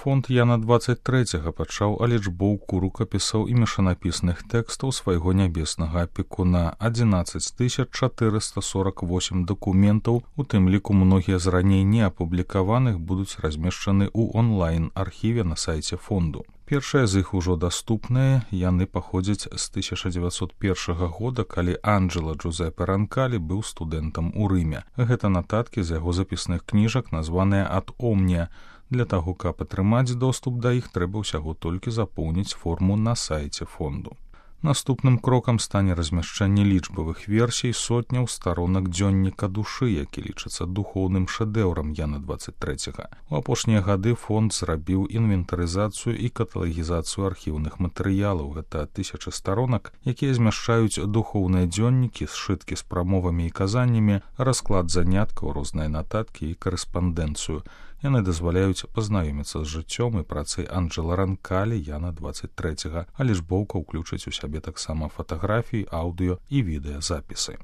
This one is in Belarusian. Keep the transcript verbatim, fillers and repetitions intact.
фонд Яна двадцать трэцяга пачаў алічбоўку рукапісаў і мешанапісных тэкстаў свайго нябеснага апекуна. адзінаццаць тысяч чатырыста сорак восем дакументаў, у тым ліку многія з раней не апублікаваных, будуць размешчаны ў онлайн-архіве на сайце фонду. Першыя з іх ужо даступныя, яны паходзяць з тысяча дзевяцьсот першага года, калі Анджело Джузеппе Ранкалі быў студэнтам у Рыме. Гэта нататкі з яго запісных кніжак, названыя «Ад Омния». Для таго, каб атрымаць доступ да іх, трэба ўсяго толькі запоўніць форму на сайце фонду. Наступным крокам стане размяшчэнне лічбавых версій сотняў старонак дзённіка душы, які лічыцца духоўным шэдэўрам Яна двадцать трэцяга. У апошнія гады фонд зрабіў інвентарызацыю і каталагізацыю архіўных матэрыялаў. Гэта тысячы старонак, якія змяшчаюць духоўныя дзённікі, сшыткі з прамовамі і казаннямі, расклад заняткаў, розныя нататкі і карэспандэнцыю. Яны дазваляюць пазнаёміцца з жыццём і працай Анджела Ранкалі Яна двадцать трэцяга, а лічбоўка ўключыць у сябе таксама фатаграфіі, аўдыё і відэазапісы.